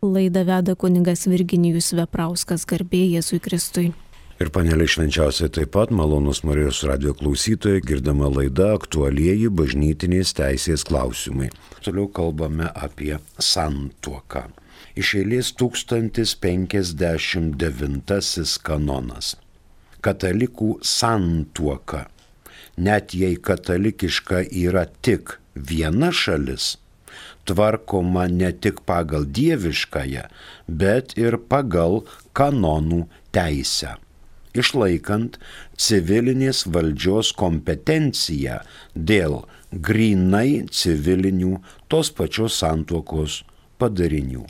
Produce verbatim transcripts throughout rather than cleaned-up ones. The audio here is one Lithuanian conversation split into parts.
Laidą veda kunigas Virginijus Veprauskas, garbė Jėzui Kristui. Ir panelė švenčiausiai taip pat, malonus Marijos radijo klausytojai, girdama laida aktualieji bažnytinės teisės klausimai. Toliau kalbame apie santuoką. Iš eilės tūkstantis penkiasdešimt devintasis kanonas. Katalikų santuoka. Net jei katalikiška yra tik viena šalis, tvarkoma ne tik pagal dieviškąją, bet ir pagal kanonų teisę, išlaikant civilinės valdžios kompetenciją dėl grynai civilinių tos pačios santuokos padarinių.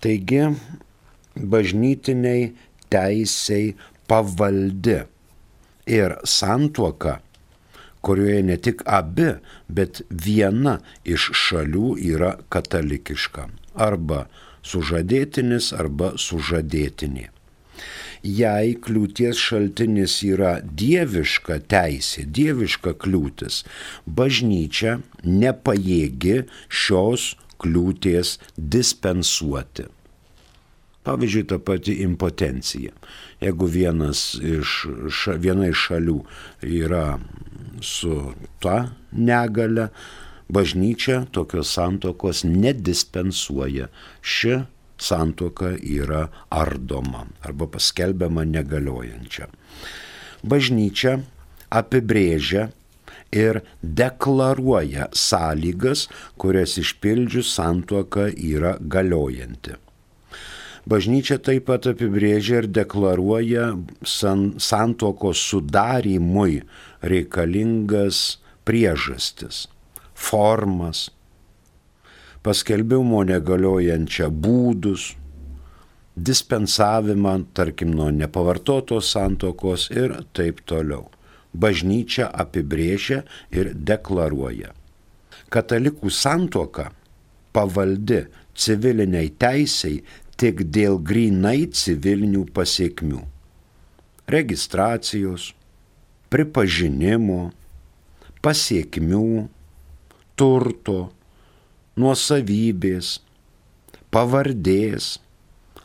Taigi, bažnytiniai teisei pavaldi ir santuoka, kurioje ne tik abi, bet viena iš šalių yra katalikiška, arba sužadėtinis, arba sužadėtinė. Jei kliūties šaltinis yra dieviška teisė, dieviška kliūtis, bažnyčia nepajėgi šios kliūties dispensuoti. Pavyzdžiui, ta pati impotencija. Jeigu vienas iš, ša, viena iš šalių yra su ta negale, bažnyčia tokios santuokos nedispensuoja. Ši santuoka yra ardoma arba paskelbiama negaliojančia. Bažnyčia apibrėžia ir deklaruoja sąlygas, kurias išpildžius santuoka yra galiojanti. Bažnyčia taip pat apibrėžia ir deklaruoja san, santuokos sudarymui reikalingas priežastis, formas, paskelbimo negaliojančią būdus, dispensavimą, tarkim, nuo nepavartotos santuokos ir taip toliau. Bažnyčia apibrėžia ir deklaruoja. Katalikų santuoka pavaldi civiliniai teisei tik dėl grynai civilinių pasiekmių. Registracijos, pripažinimo, pasiekmių, turto, nuosavybės, pavardės,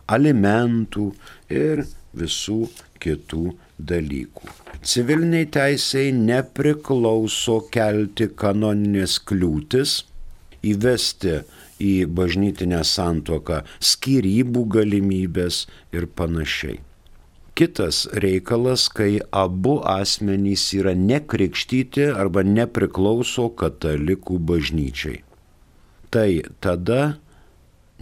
alimentų ir visų kitų dalykų. Civiliniai teisei nepriklauso kelti kanoninės kliūtis, įvesti į bažnytinę santuoką skyrybų galimybės ir panašiai. Kitas reikalas, kai abu asmenys yra nekrikštyti arba nepriklauso katalikų bažnyčiai. Tai tada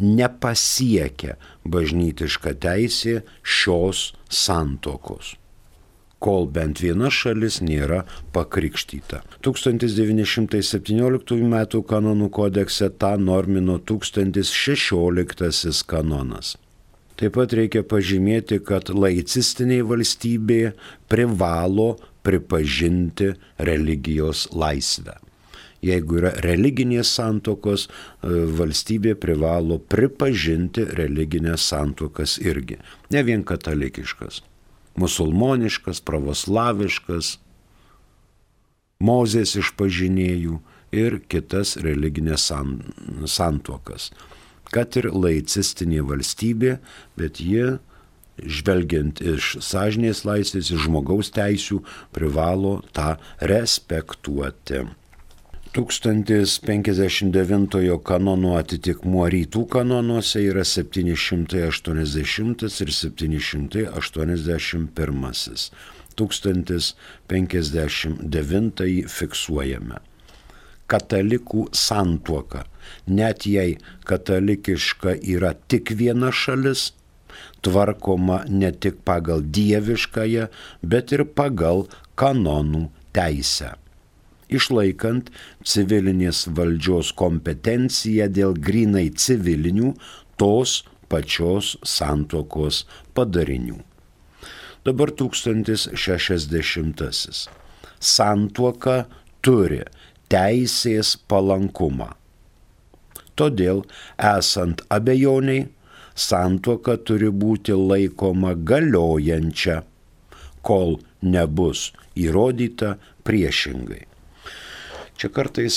nepasiekia bažnytiška teisė šios santuokos, kol bent viena šalis nėra pakrikštyta. tūkstantis devyni šimtai septynioliktųjų metų kanonų kodekse tą normino tūkstantis šešioliktasis kanonas. Taip pat reikia pažymėti, kad laicistinė valstybė privalo pripažinti religijos laisvę. Jeigu yra religinės santuokos, valstybė privalo pripažinti religinės santuokas irgi. Ne vien katalikiškas. Musulmoniškas, pravoslaviškas, Mozės išpažinėjų ir kitas religinės santuokas. Kad ir laicistinė valstybė, bet jie, žvelgiant iš sąžinės laisvės, iš žmogaus teisių, privalo tą respektuoti. tūkstantis penkiasdešimt devintojo kanono atitikmuo rytų kanonuose yra septyni šimtai aštuoniasdešimtas ir septyni šimtai aštuoniasdešimt pirmasis. tūkstantis penkiasdešimt devintąjį fiksuojame. Katalikų santuoka, net jei katalikiška yra tik viena šalis, tvarkoma ne tik pagal dieviškąją, bet ir pagal kanonų teisę, išlaikant civilinės valdžios kompetenciją dėl grynai civilinių tos pačios santuokos padarinių. Dabar tūkstantis šešiasdešimtasis. Santuoka turi teisės palankumą. Todėl, esant abejoniai, santuoka turi būti laikoma galiojančia, kol nebus įrodyta priešingai. Čia kartais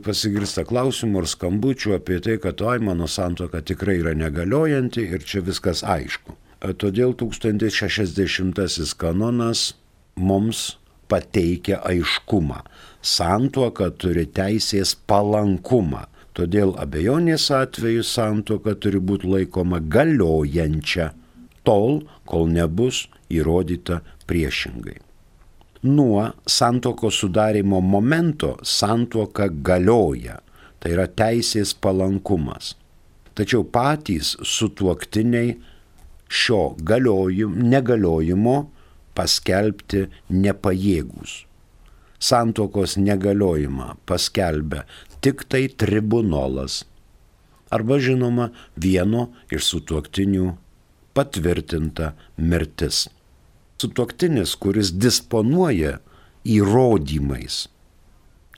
pasigirsta klausimų ar skambučių apie tai, kad oi, mano santuoka tikrai yra negaliojanti ir čia viskas aišku. Todėl tūkstantis šešiasdešimtasis kanonas mums pateikia aiškumą. Santuoka turi teisės palankumą. Todėl abejonės atveju santuoka turi būti laikoma galiojančia, tol, kol nebus įrodyta priešingai. Nuo santuokos sudarimo momento santuoka galioja, tai yra teisės palankumas. Tačiau patys sutuoktiniai šio galiojimo, negaliojimo paskelbti nepajėgūs. Santuokos negaliojimą paskelbia tik tai tribunolas arba žinoma vieno iš sutuoktinių patvirtinta mirtis. Sutuoktinis, kuris disponuoja įrodymais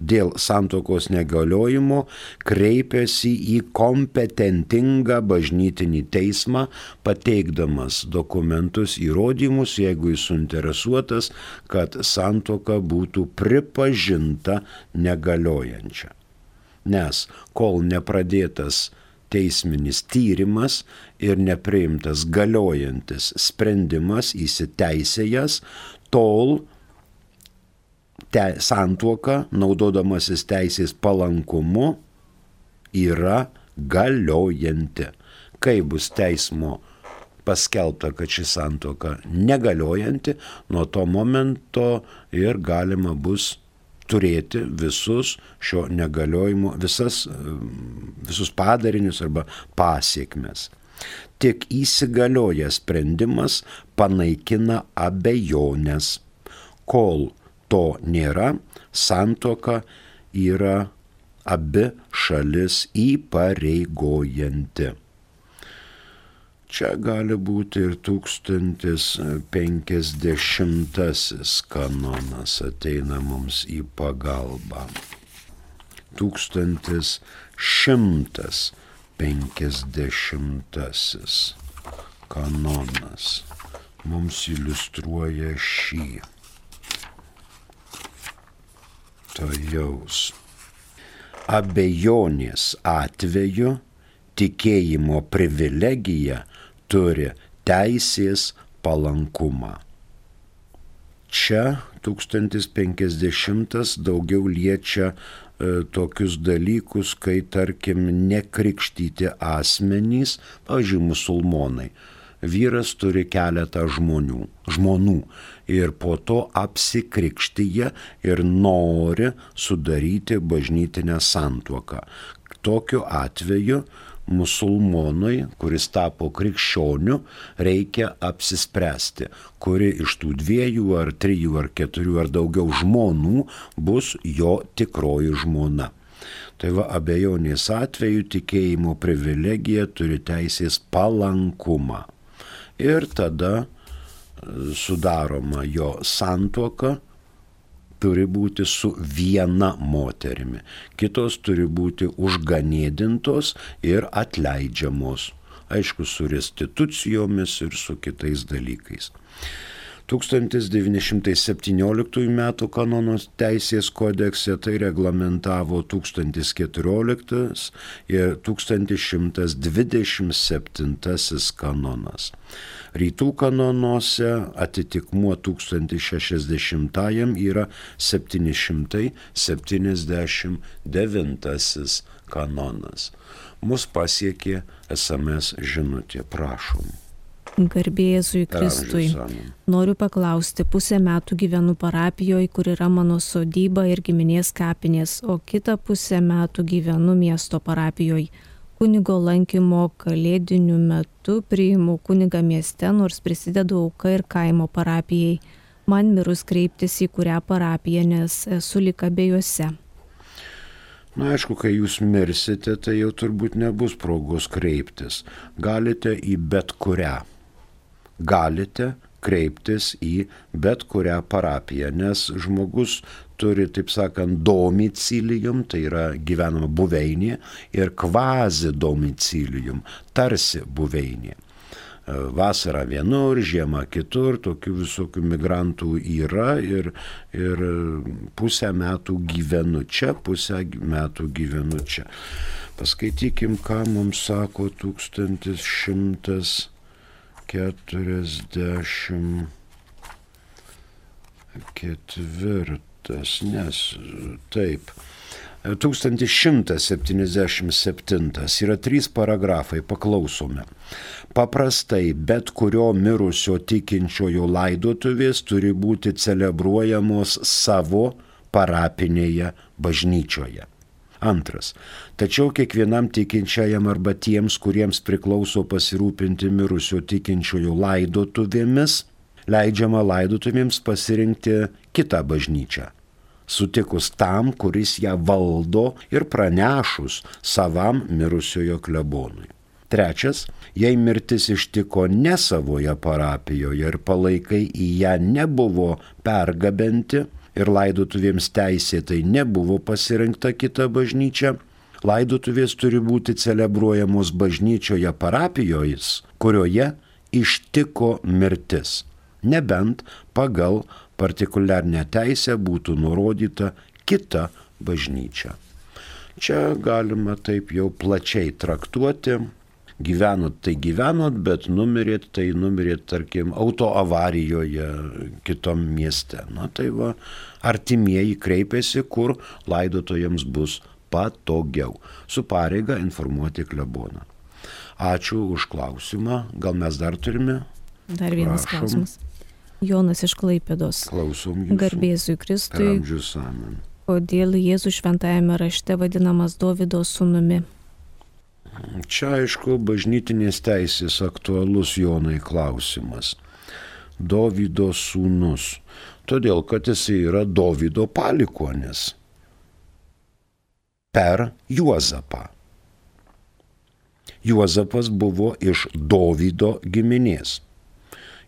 dėl santuokos negaliojimo, kreipiasi į kompetentingą bažnytinį teismą, pateikdamas dokumentus, įrodymus, jeigu jis suinteresuotas, kad santuoka būtų pripažinta negaliojančia. Nes kol nepradėtas teisminis tyrimas ir nepriimtas galiojantis sprendimas įsiteisėjęs, tol te, santuoka, naudodamasis teisės palankumu, yra galiojanti. Kai bus teismo paskelbta, kad ši santuoka negaliojanti, nuo to momento ir galima bus turėti visus šio negaliojimo, visas, visus padarinius arba pasiekmes. Tik įsigaliojęs sprendimas panaikina abejonės. Kol to nėra, santuoka yra abi šalis įpareigojanti. Čia gali būti ir tūkstantis penkiasdešimtasis kanonas ateina mums į pagalbą. Tūkstantis šimtas penkiasdešimtasis kanonas mums iliustruoja šį. Tojaus. Abejonės atveju tikėjimo privilegija turi teisės palankumą. Čia tūkstantis penkiasdešimtas daugiau liečia e, tokius dalykus, kai tarkim nekrikštyti asmenys, pavyzdžiui, musulmonai. Vyras turi keletą žmonių, žmonų ir po to apsikrikštyje ir nori sudaryti bažnytinę santuoką. Tokiu atveju musulmonui, kuris tapo krikščioniu, reikia apsispręsti, kuri iš tų dviejų ar trijų ar keturių ar daugiau žmonų bus jo tikroji žmona. Tai va, abejonės atveju tikėjimo privilegija turi teisės palankumą. Ir tada sudaroma jo santuoka, turi būti su viena moterimi, kitos turi būti užganėdintos ir atleidžiamos, aišku, su restitucijomis ir su kitais dalykais. tūkstantis devyni šimtai septynioliktųjų metų kanonos teisės kodekse tai reglamentavo tūkstantis keturioliktas ir tūkstantis šimtas dvidešimt septintasis kanonas. Rytų kanonuose atitikmuo tūkstantis šešiasdešimtajam yra septyni šimtai septyniasdešimt devintasis kanonas. Mus pasiekė es em es žinutė, prašom. Garbė Jėzui Kristui. Noriu paklausti, pusę metų gyvenu parapijoje, kur yra mano sodyba ir giminės kapinės, o kitą pusę metų gyvenu miesto parapijoje. Kunigo lankymo kalėdiniu metu priimu kunigą mieste, nors prisidedu auką ir kaimo parapijai. Man mirus kreiptis į kurią parapiją, nes esu lyg abiejose. Na, aišku, kai jūs mirsite, tai jau turbūt nebus progos kreiptis. Galite į bet kurią. Galite kreiptis į bet kurią parapiją, nes žmogus turi, taip sakant, domicilium, tai yra gyvenama buveinė, ir kvazi domicilium, tarsi buveinė. vasarą vienur, žiemą kitur, tokių visokių migrantų yra ir, ir pusę metų gyvenu čia, pusę metų gyvenu čia. Paskaitykim, ką mums sako tūkstantis šimtas keturiasdešimt ketvirtas, nes taip. tūkstantis šimtas septyniasdešimt septintas yra trys paragrafai, paklausome. Paprastai bet kurio mirusio tikinčiojo laidotuvės turi būti celebruojamos savo parapinėje bažnyčioje. Antras. Tačiau kiekvienam tikinčiajam arba tiems, kuriems priklauso pasirūpinti mirusio tikinčiojo laidotuvėmis, leidžiama laidotuvėms pasirinkti kitą bažnyčią, sutikus tam, kuris ją valdo ir pranešus savam mirusiojo klebonui. Trečias, jei mirtis ištiko ne savoje parapijoje ir palaikai į ją nebuvo pergabenti ir laidotuvėms teisėtai nebuvo pasirinkta kita bažnyčia, laidotuvės turi būti celebruojamos bažnyčioje parapijoje, kurioje ištiko mirtis, nebent pagal partikuliarnę teisę būtų nurodyta kita bažnyčia. Čia galima taip jau plačiai traktuoti. Gyvenot tai gyvenot, bet numirėt tai numirėt, tarkim, autoavarijoje kitom mieste. Na tai va, artimieji kreipiasi, kur laidotojams bus patogiau. Su pareiga informuoti kleboną. Ačiū už klausimą. Gal mes dar turime? Dar vienas Prašom. Klausimas. Jonas iš Klaipėdos. Klausom jūsų. Garbėzui Kristui. Amžius amen. Kodėl Jėzus šventajame rašte vadinamas Dovydo sūnumi? Čia, aišku, bažnytinės teisės aktualus Jonai klausimas. Dovydo sūnus. Todėl, kad jis yra Dovydo palikuonis. Per Juozapą. Juozapas buvo iš Dovydo giminės.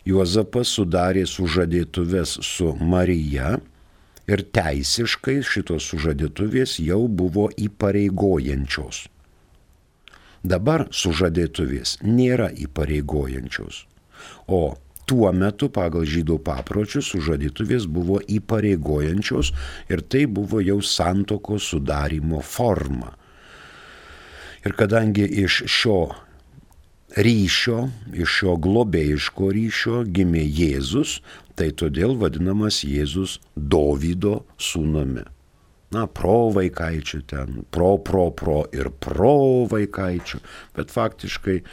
Juozapas sudarė sužadėtuves su Marija ir teisiškai šitos sužadėtuvės jau buvo įpareigojančios. Dabar sužadėtuvės nėra įpareigojančios, o tuo metu pagal žydų papročius sužadėtuvės buvo įpareigojančios ir tai buvo jau santuokos sudarimo forma. Ir kadangi iš šio ryšio, iš šio globėjiško ryšio gimė Jėzus, tai todėl vadinamas Jėzus Dovydo sūnumi. Na, pro vaikaičių ten, pro, pro, pro ir pro vaikaičių, bet faktiškai e,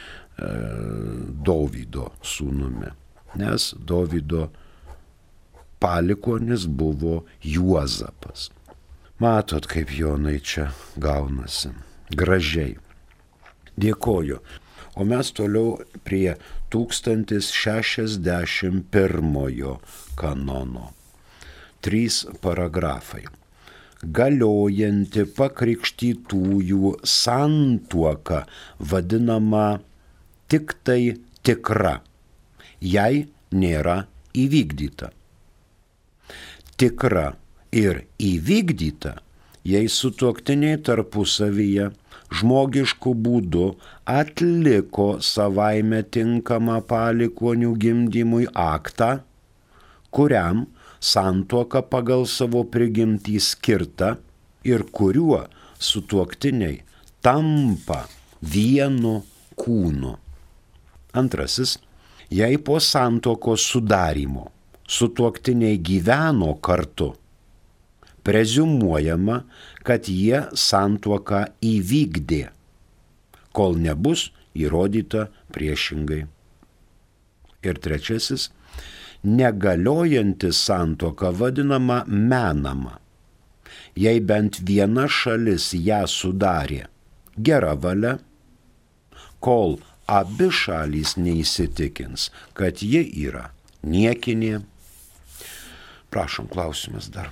Dovydo sūnumi, nes Dovydo palikuonis buvo Juozapas. Matot, kaip Jonai čia gaunasi. Gražiai. Dėkoju. O mes toliau prie tūkstantis šešiasdešimt pirmojo kanono. Trys paragrafai. Galiojanti pakrikštytųjų santuoka vadinama tik tai tikra, jei nėra įvykdyta. Tikra ir įvykdyta, jei sutuoktiniai tarpusavyje žmogiškų būdų atliko savaime tinkamą palikuonių gimdymui aktą, kuriam santuoka pagal savo prigimtį skirta ir kuriuo sutuoktiniai tampa vienu kūnu. Antrasis, jei po santuokos sudarymo sutuoktiniai gyveno kartu, preziumuojama, kad jie santuoką įvykdė, kol nebus įrodyta priešingai. Ir trečiasis, negaliojanti santuoka vadinama menama, jei bent viena šalis ją sudarė gera valia, kol abi šalys neįsitikins, kad ji yra niekinė. Prašom, klausimas dar.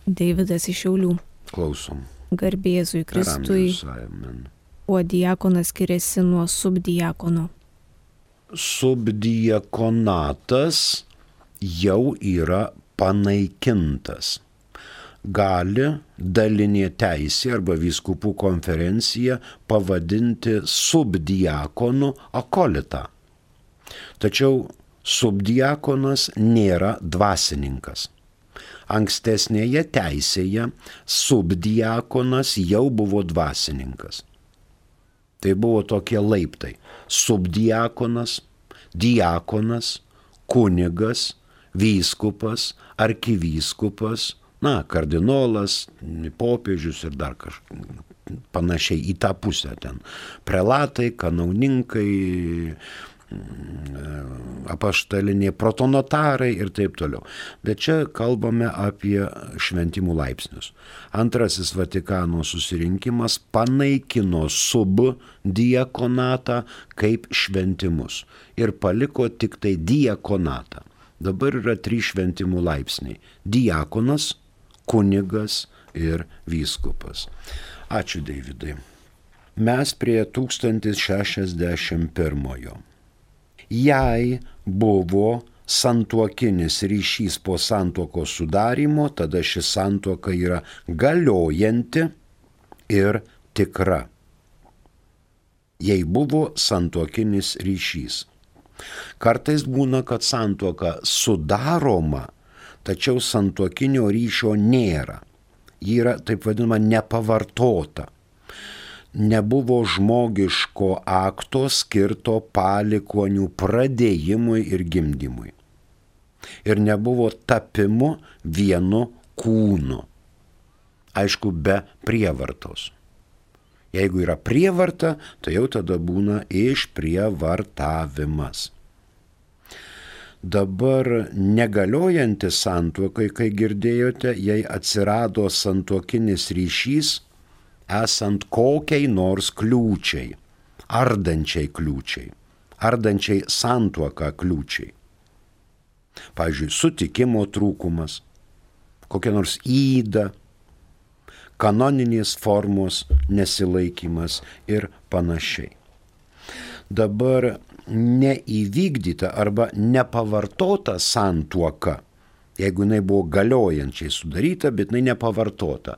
Deividas iš Šiaulių. Klausom. Garbėzui Kristui. Kuo diakonas skiriasi nuo subdiakono? Subdiakonatas jau yra panaikintas. Gali dalinė teisė arba vyskupų konferencija pavadinti subdiakonu akolitą. Tačiau subdiakonas nėra dvasininkas. Ankstesnėje teisėje subdiakonas jau buvo dvasininkas. Tai buvo tokie laiptai. Subdiakonas, diakonas, kunigas, vyskupas, arkivyskupas, na, kardinolas, popiežius ir dar kažkas panašiai į tą pusę ten. Prelatai, kanauninkai, apaštaliniai protonotarai ir taip toliau. Bet čia kalbame apie šventimų laipsnius. Antrasis Vatikano susirinkimas panaikino subdiakonatą kaip šventimus ir paliko tik tai diakonatą. Dabar yra trys šventimų laipsniai – diakonas, kunigas ir vyskupas. Ačiū, Deividai. Mes prie tūkstantis šešiasdešimt pirmojo. Jei buvo santuokinis ryšys po santuokos sudarymo, tada ši santuoka yra galiojanti ir tikra. Jei buvo santuokinis ryšys. Kartais būna, kad santuoka sudaroma, tačiau santuokinio ryšio nėra. Ji yra, taip vadinama, nepavartota. Nebuvo žmogiško akto skirto palikuonių pradėjimui ir gimdymui. Ir nebuvo tapimo vienu kūnu. Aišku, be prievartos. Jeigu yra prievarta, tai jau tada būna išprievartavimas. Dabar negaliojanti santuokai, kai girdėjote, jei atsirado santuokinis ryšys, esant kokiai nors kliūčiai, ardančiai kliūčiai, ardančiai santuoką kliūčiai. Pavyzdžiui, sutikimo trūkumas, kokia nors įda, kanoninės formos nesilaikymas ir panašiai. Dabar neįvykdyta arba nepavartota santuoka, jeigu jinai buvo galiojančiai sudaryta, bet jinai nepavartota.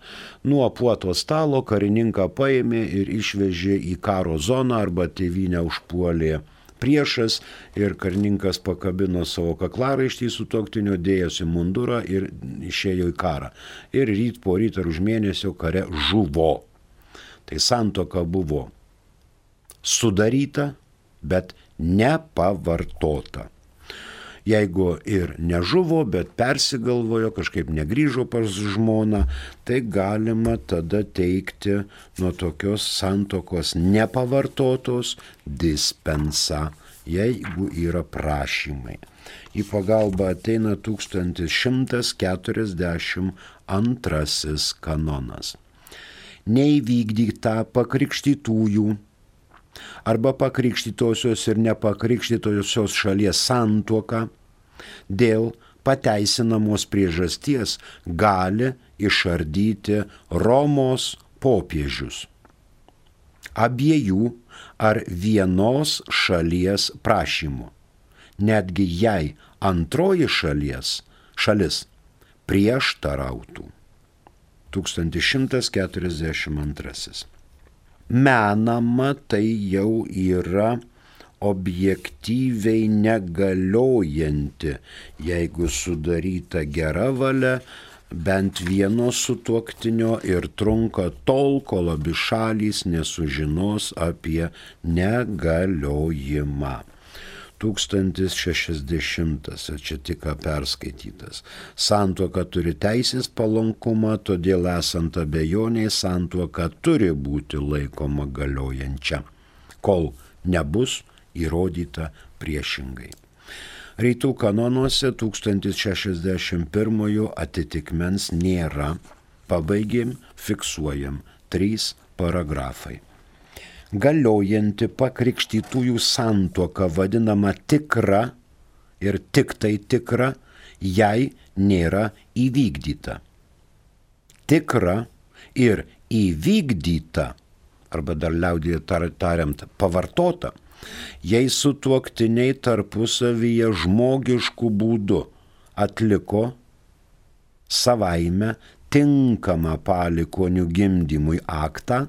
Nuo puoto stalo karininką paėmė ir išvežė į karo zoną arba tėvynę užpuolė priešas ir karininkas pakabino savo kaklaraištį sutuoktinio, dėjosi mundurą ir išėjo į karą. Ir ryt po ryt ar už mėnesio kare žuvo. Tai santuoka buvo sudaryta, bet nepavartota. Jeigu ir nežuvo, bet persigalvojo, kažkaip negrįžo pas žmoną, tai galima tada teikti nuo tokios santuokos nepavartotos dispensą, jeigu yra prašymai. Į pagalbą ateina tūkstantis šimtas keturiasdešimt antrasis kanonas. Neįvykdyta pakrikštytųjų arba pakrikštytosios ir nepakrikštytosios šalies santuoka dėl pateisinamos priežasties gali išardyti Romos popiežius. Abiejų ar vienos šalies prašymu, netgi jei antroji šalies, šalis prieštarautų. tūkstantis šimtas keturiasdešimt antrasis. Menama tai jau yra objektyviai negaliojanti, jeigu sudaryta gera valia bent vieno sutuoktinio ir trunka tol, kol abi šalys nesužinos apie negaliojimą. tūkstantis šešiasdešimtas, čia tik perskaitytas. Santuoka turi teisės palankumą, todėl esant abejoniai santuoka turi būti laikoma galiojančia, kol nebus įrodyta priešingai. Rytų kanonuose tūkstantis šešiasdešimt pirmojo atitikmens nėra. Pabaigėm, fiksuojam. Trys paragrafai. Galiojanti pakrikštytųjų santuoka vadinama tikra ir tik tai tikra, jei nėra įvykdyta. Tikra ir įvykdyta, arba dar liaudyje tariant pavartota, jei sutuoktiniai tarpusavyje žmogiškų būdų atliko savaime tinkamą palikuonių gimdymui aktą,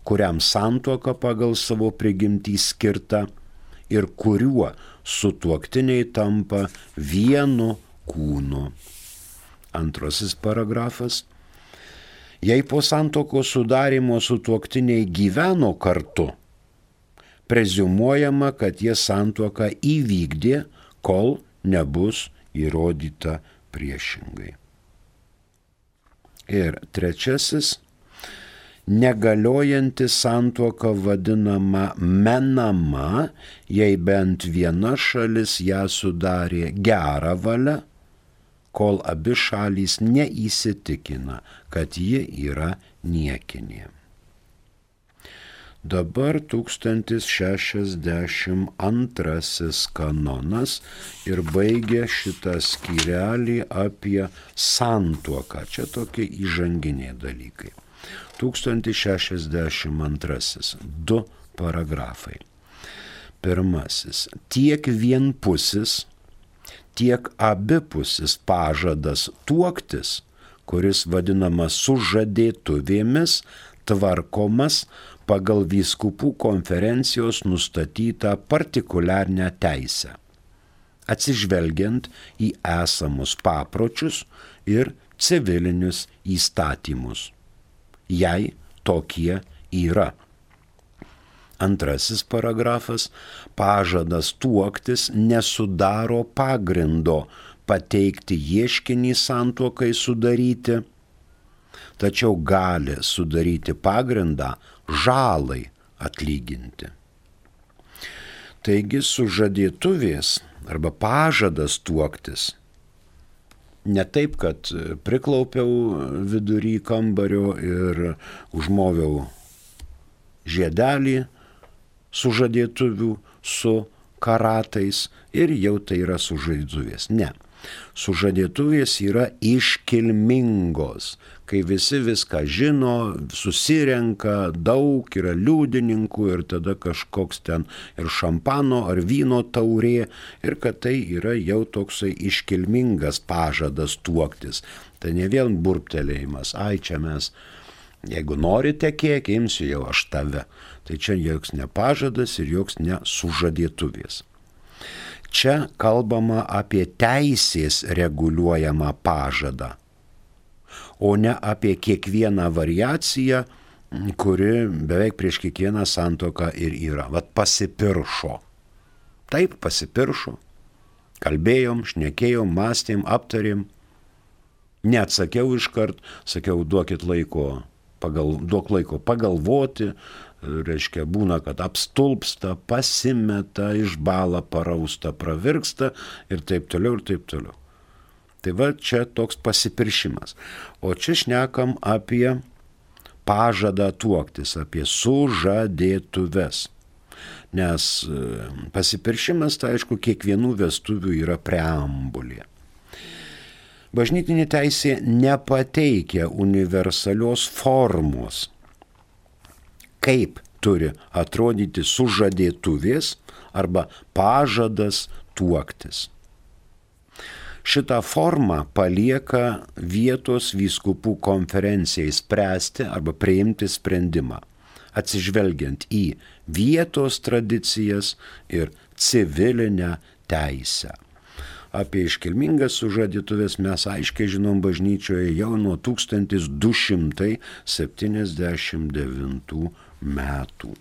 kuriam santuoka pagal savo prigimtį skirta, ir kuriuo sutuoktiniai tampa vienu kūnu. Antrasis paragrafas. Jei po santuokos sudarymo sutuoktiniai gyveno kartu, preziumuojama, kad jie santuoką įvykdė, kol nebus įrodyta priešingai. Ir trečiasis. Negaliojanti santuoka vadinama menama, jei bent viena šalis ją sudarė gerą valią, kol abi šalys neįsitikina, kad ji yra niekinė. Dabar tūkstantis šešiasdešimt antrasis kanonas ir baigia šitą skyrelį apie santuoką. Čia tokie įžanginiai dalykai. tūkstantis šešiasdešimt antrasis. Du paragrafai. Pirmasis. Tiek vienpusis, tiek abipusis pažadas tuoktis, kuris vadinamas sužadėtuvėmis, tvarkomas pagal vyskupų konferencijos nustatytą partikuliarnę teisę, atsižvelgiant į esamus papročius ir civilinius įstatymus, jei tokie yra. Antrasis paragrafas. Pažadas tuoktis nesudaro pagrindo pateikti ieškinį santuokai sudaryti, tačiau gali sudaryti pagrindą žalai atlyginti. Taigi sužadėtuvės arba pažadas tuoktis ne taip, kad priklaupiau vidury kambario ir užmoviau žiedelį sužadėtuvių su karatais ir jau tai yra sužadėtuvės. Ne. Sužadėtuvės yra iškilmingos, kai visi viską žino, susirenka, daug yra liudininkų ir tada kažkoks ten ir šampano ar vyno taurė ir kad tai yra jau toksai iškilmingas pažadas tuoktis. Tai ne vien burptelėjimas, ai čia mes, jeigu norite kiek, imsiu jau aš tave. Tai čia joks ne pažadas ir joks ne sužadėtuvės. Čia kalbama apie teisės reguliuojamą pažadą, o ne apie kiekvieną variaciją, kuri beveik prieš kiekvieną santuoką ir yra. Vat pasipiršo. Taip, pasipiršo. Kalbėjom, šnekėjom, mąstėm, aptarėm. Neatsakiau iškart, sakiau, duokit laiko, pagal, duok laiko pagalvoti. Reiškia, būna, kad apstulpsta, pasimeta, išbala, parausta, pravirksta ir taip toliau ir taip toliau. Tai va čia toks pasipiršimas. O čia šnekam apie pažadą tuoktis, apie sužadėtuves. Nes pasipiršimas, tai aišku, kiekvienų vestuvių yra preambulė. Bažnytinė teisė nepateikia universalios formos, kaip turi atrodyti sužadėtuvės arba pažadas tuoktis. Šitą formą palieka vietos vyskupų konferencijai spręsti arba priimti sprendimą, atsižvelgiant į vietos tradicijas ir civilinę teisę. Apie iškilmingas sužadėtuves mes aiškiai žinom bažnyčioje jau nuo tūkstantis du šimtai septyniasdešimt devintų metų.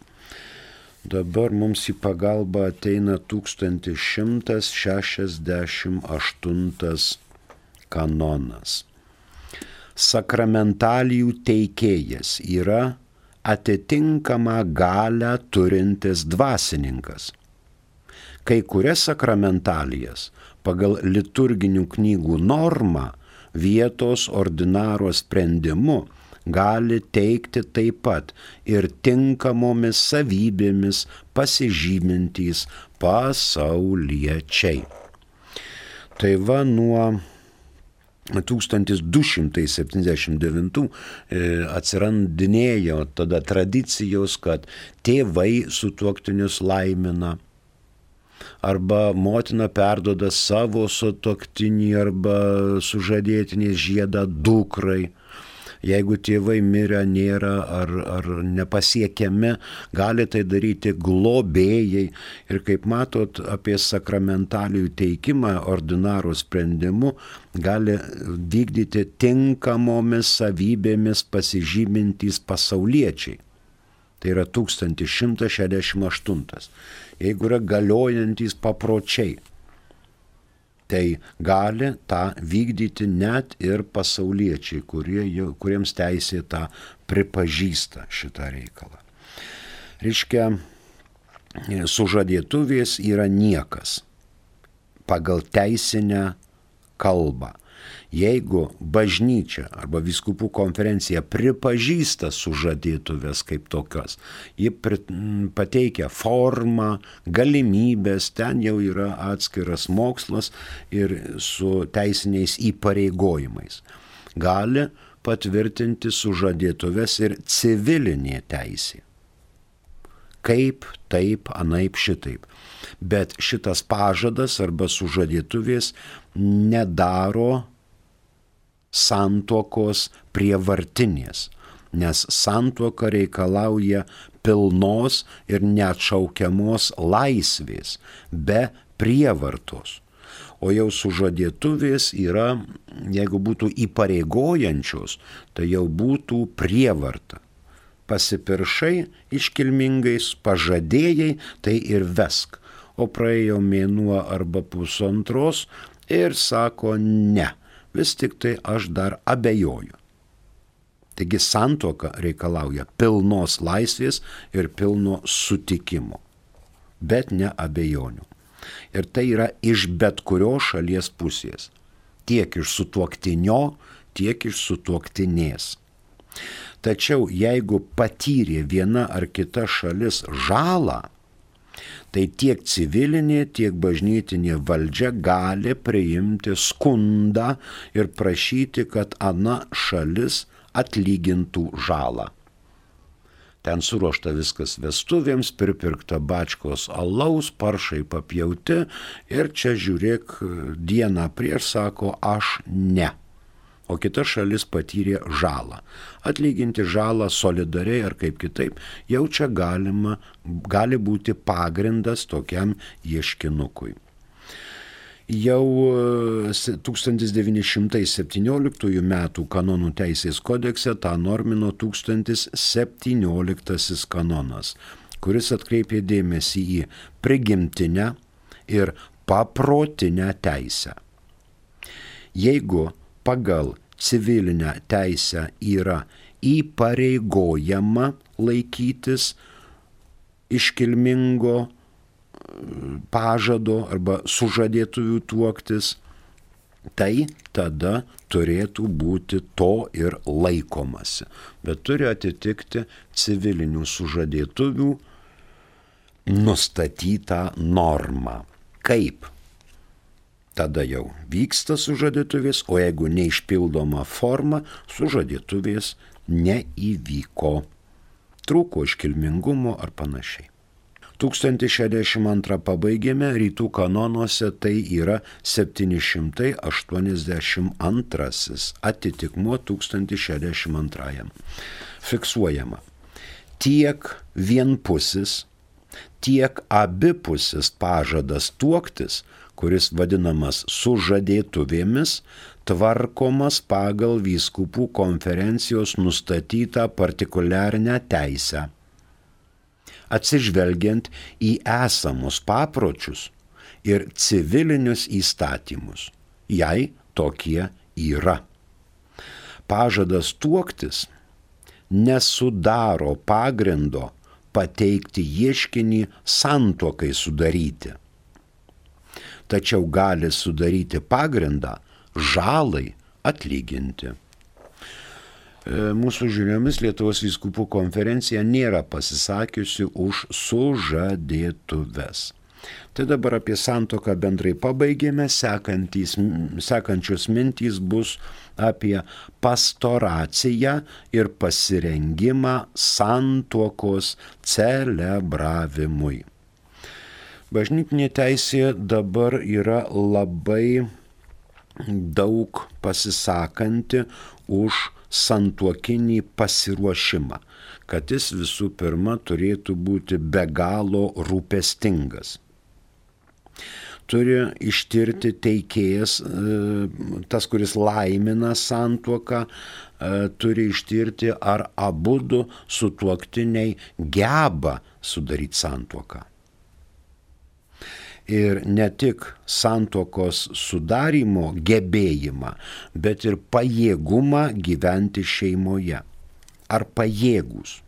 Dabar mums į pagalbą ateina tūkstantis šimtas šešiasdešimt aštuntas kanonas. Sakramentalijų teikėjas yra atitinkamą galią turintis dvasininkas. Kai kurias sakramentalijas pagal liturginių knygų normą vietos ordinaro sprendimu gali teikti taip pat ir tinkamomis savybėmis pasižymintys pasauliečiai. Tai va nuo tūkstantis du šimtai septyniasdešimt devintų atsirandinėjo tada tradicijos, kad tėvai sutuoktinius laimina, arba motina perduoda savo sutuoktinį arba sužadėtinį žiedą dukrai. Jeigu tėvai mirę nėra ar, ar nepasiekiami, gali tai daryti globėjai. Ir kaip matot, apie sakramentalijų teikimą ordinaro sprendimu gali vykdyti tinkamomis savybėmis pasižymintys pasauliečiai. Tai yra tūkstantis šimtas šešiasdešimt aštuntas. Jeigu yra galiojantys papročiai, tai gali tą vykdyti net ir pasauliečiai, kurie, kuriems teisė tą pripažįsta šitą reikalą. Reiškia, sužadėtuvės yra niekas pagal teisinę kalbą. Jeigu bažnyčia arba vyskupų konferencija pripažįsta sužadėtuvės kaip tokios, ji pateikia formą, galimybės, ten jau yra atskiras mokslas ir su teisiniais įpareigojimais. Gali patvirtinti sužadėtuvės ir civilinė teisė. Kaip, taip, anaip, šitaip. Bet šitas pažadas arba sužadėtuvės nedaro santuokos prievartinės, nes santuoka reikalauja pilnos ir neatšaukiamos laisvės, be prievartos. O jau sužadėtuvės yra, jeigu būtų įpareigojančios, tai jau būtų prievarta. Pasipiršai iškilmingais, pažadėjai, tai ir vesk. O praėjo mėnuo arba pusantros ir sako ne. Vis tik tai aš dar abejoju. Taigi santuoka reikalauja pilnos laisvės ir pilno sutikimo, bet ne abejonių. Ir tai yra iš bet kurios šalies pusės, tiek iš sutuoktinio, tiek iš sutuoktinės. Tačiau jeigu patyrė viena ar kita šalis žalą, tai tiek civilinė, tiek bažnytinė valdžia gali priimti skundą ir prašyti, kad ana šalis atlygintų žalą. Ten suruošta viskas vestuvėms, pripirkta bačkos alaus, paršai papjauti ir čia žiūrėk, dieną prieš sako aš ne. O kita šalis patyrė žalą. Atlyginti žalą solidariai ar kaip kitaip, jau čia galima, gali būti pagrindas tokiam ieškinukui. Jau tūkstantis devyni šimtai septynioliktųjų metų kanonų teisės kodekse tą normino tūkstantis septynioliktasis kanonas, kuris atkreipė dėmesį į prigimtinę ir paprotinę teisę. Jeigu pagal civilinę teisę yra įpareigojama laikytis iškilmingo pažado arba sužadėtuvių tuoktis, tai tada turėtų būti to ir laikomasi. Bet turi atitikti civilinių sužadėtuvių nustatytą normą. Kaip? Tada jau vyksta sužadėtuvės, o jeigu neišpildoma forma, sužadėtuvės neįvyko. Trūko iškilmingumo ar panašiai. tūkstantis šešiasdešimt antrą pabaigėme, rytų kanonuose tai yra septyni šimtai aštuoniasdešimt antrasis atitikmuo tūkstantis šešiasdešimt antrajam. Fiksuojama. Tiek vienpusis, tiek abipusis pažadas tuoktis, kuris vadinamas sužadėtuvėmis, tvarkomas pagal vyskupų konferencijos nustatytą partikuliarinę teisę, atsižvelgiant į esamus papročius ir civilinius įstatymus, jei tokie yra. Pažadas tuoktis nesudaro pagrindo pateikti ieškinį santuokai sudaryti, tačiau gali sudaryti pagrindą žalai atlyginti. Mūsų žiniomis Lietuvos vyskupų konferencija nėra pasisakiusi už sužadėtuves. Tai dabar apie santuoką bendrai pabaigėme, sekantys, sekančios mintys bus apie pastoraciją ir pasirengimą santuokos celebravimui. Bažnytinė teisė dabar yra labai daug pasisakanti už santuokinį pasiruošimą, kad jis visų pirma turėtų būti be galo rūpestingas. Turi ištirti teikėjas, tas, kuris laimina santuoką, turi ištirti, ar abudu sutuoktiniai geba sudaryti santuoką. Ir ne tik santuokos sudarimo gebėjimą, bet ir pajėgumą gyventi šeimoje. Ar pajėgus?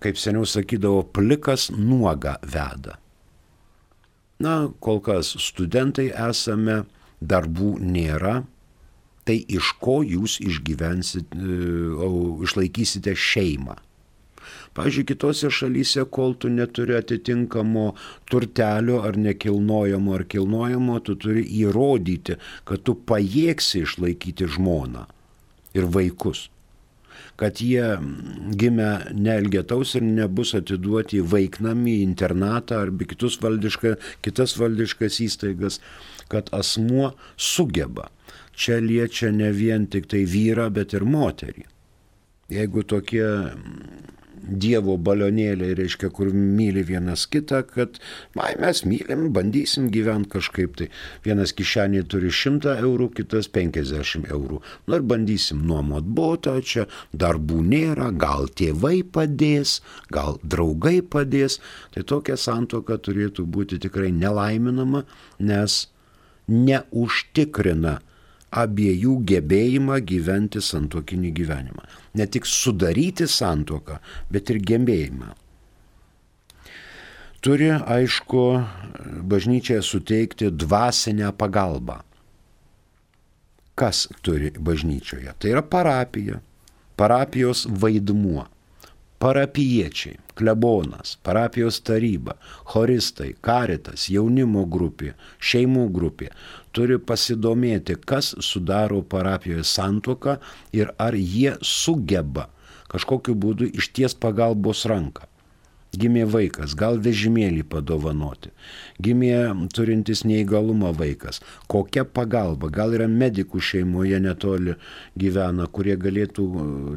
Kaip seniau sakydavo, plikas nuogą veda. Na, kol kas studentai esame, darbų nėra, tai iš ko jūs išgyvensite, išlaikysite šeimą? Pavyzdžiui, kitose šalyse, kol tu neturi atitinkamo turtelio ar nekilnojamo ar kilnojamo, tu turi įrodyti, kad tu pajėgsi išlaikyti žmoną ir vaikus. Kad jie gimę neelgetaus ir nebus atiduoti į vaiknamį, į internatą arba kitus valdiška, kitas valdiškas įstaigas, kad asmuo sugeba. Čia liečia ne vien tik tai vyrą, bet ir moterį. Jeigu tokie Dievo balionėliai, reiškia, kur myli vienas kitą, kad ai, mes mylim, bandysim gyventi kažkaip tai. Vienas kišenėje turi šimtą eurų, kitas penkiasdešimt eurų. Nu ir bandysim nuomot butą, čia darbų nėra, gal tėvai padės, gal draugai padės. Tai tokia santuoka turėtų būti tikrai nelaiminama, nes neužtikrina abiejų gebėjimą gyventi santuokinį gyvenimą. Ne tik sudaryti santuoką, bet ir gebėjimą. Turi, aišku, bažnyčia suteikti dvasinę pagalbą. Kas turi bažnyčioje? Tai yra parapija, parapijos vaidmuo. Parapiečiai, klebonas, parapijos taryba, choristai, karitas, jaunimo grupė, šeimų grupė turi pasidomėti, kas sudaro parapijoje santuoką ir ar jie sugeba kažkokiu būdu išties pagalbos ranką. Gimė vaikas, gal vežimėlį padovanoti. Gimė turintis neįgalumą vaikas. Kokia pagalba? Gal yra medikų šeimoje netoli gyvena, kurie galėtų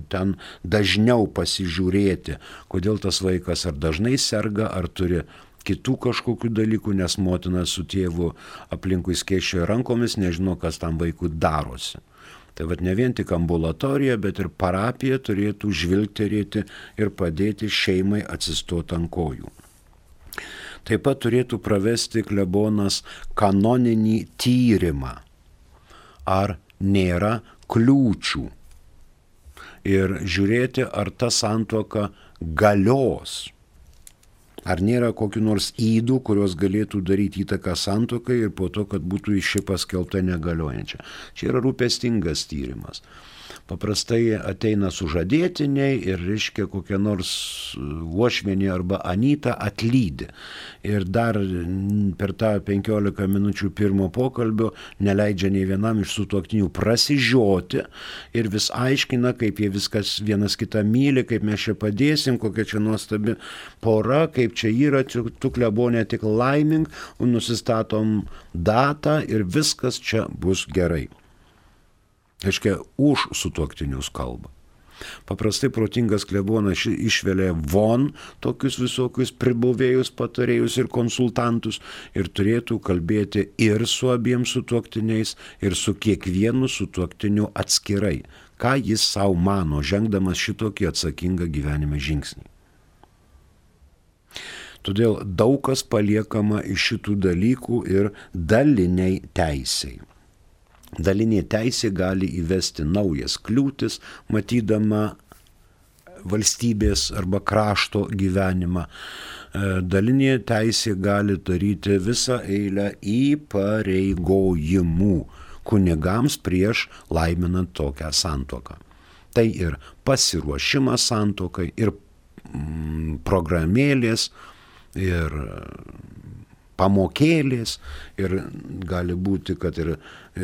ten dažniau pasižiūrėti, kodėl tas vaikas ar dažnai serga, ar turi kitų kažkokių dalykų, nes motina su tėvu aplinkui skėsčioja rankomis, nežino, kas tam vaikui darosi. Tai vad ne vien tik ambulatorija, bet ir parapija turėtų žvilgterėti ir padėti šeimai atsistoti ant kojų. Taip pat turėtų pravesti klebonas kanoninį tyrimą, ar nėra kliūčių ir žiūrėti, ar ta santuoka galios. Ar nėra kokių nors ydų, kurios galėtų daryti įtaką santuokai ir po to, kad būtų ši paskelbta negaliojančia. Čia yra rūpestingas tyrimas. Paprastai ateina sužadėtiniai ir, reiškia, kokia nors uošvienė arba anyta atlydi. Ir dar per tą penkiolika minučių pirmo pokalbio neleidžia nei vienam iš sutuoktinių prasižioti ir vis aiškina, kaip jie viskas vienas kitą myli, kaip mes čia padėsim, kokia čia nuostabi pora, kaip čia yra, tu klebonė tik laimink, nusistatom datą ir viskas čia bus gerai. Reiškia, už sutuoktinius kalba. Paprastai protingas klebonas išvelia von tokius visokius pribuvėjus, patarėjus ir konsultantus ir turėtų kalbėti ir su abiem sutuoktiniais, ir su kiekvienu sutuoktiniu atskirai, ką jis savo mano, žengdamas šitokį atsakingą gyvenime žingsnį. Todėl daug kas paliekama iš šitų dalykų ir daliniai teisei. Dalinė teisė gali įvesti naujas kliūtis, matydama valstybės arba krašto gyvenimą. Dalinė teisė gali daryti visą eilę įpareigojimų kunigams prieš laiminant tokią santuoką. Tai ir pasiruošimas santuokai, ir mm, programėlės, ir pamokėlės, ir gali būti, kad ir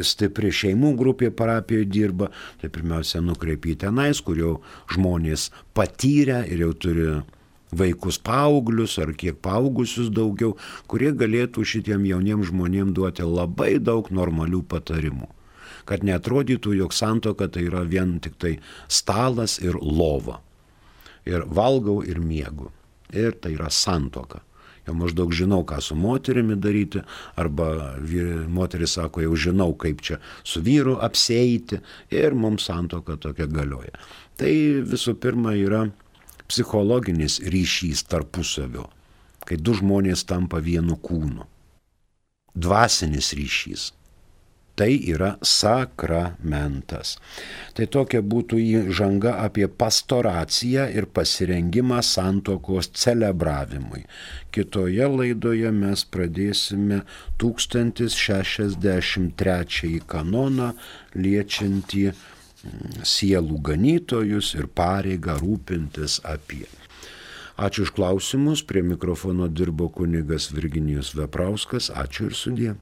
stipri šeimų grupė parapijoje dirba, tai pirmiausia nukreipi tenais, kur jau žmonės patyrę ir jau turi vaikus paauglius ar kiek paaugusius daugiau, kurie galėtų šitiem jauniem žmonėm duoti labai daug normalių patarimų. kad neatrodytų, jog santuoka tai yra vien tik tai stalas ir lova. Ir valgau ir miegu. Ir tai yra santuoka. Jau maždaug žinau, ką su moterimi daryti, arba moteris sako, jau žinau, kaip čia su vyru apsieiti, ir mums santuoka tokia galioja. Tai visų pirma yra psichologinis ryšys tarpusavio, kai du žmonės tampa vienu kūnu. Dvasinis ryšys. Tai yra sakramentas. Tai tokia būtų įžanga apie pastoraciją ir pasirengimą santuokos celebravimui. Kitoje laidoje mes pradėsime tūkstantis šešiasdešimt trečiąjį kanoną liečiantį sielų ganytojus ir pareigą rūpintis apie. Ačiū už klausimus. Prie mikrofono dirbo kunigas Virginijus Veprauskas. Ačiū ir sudie.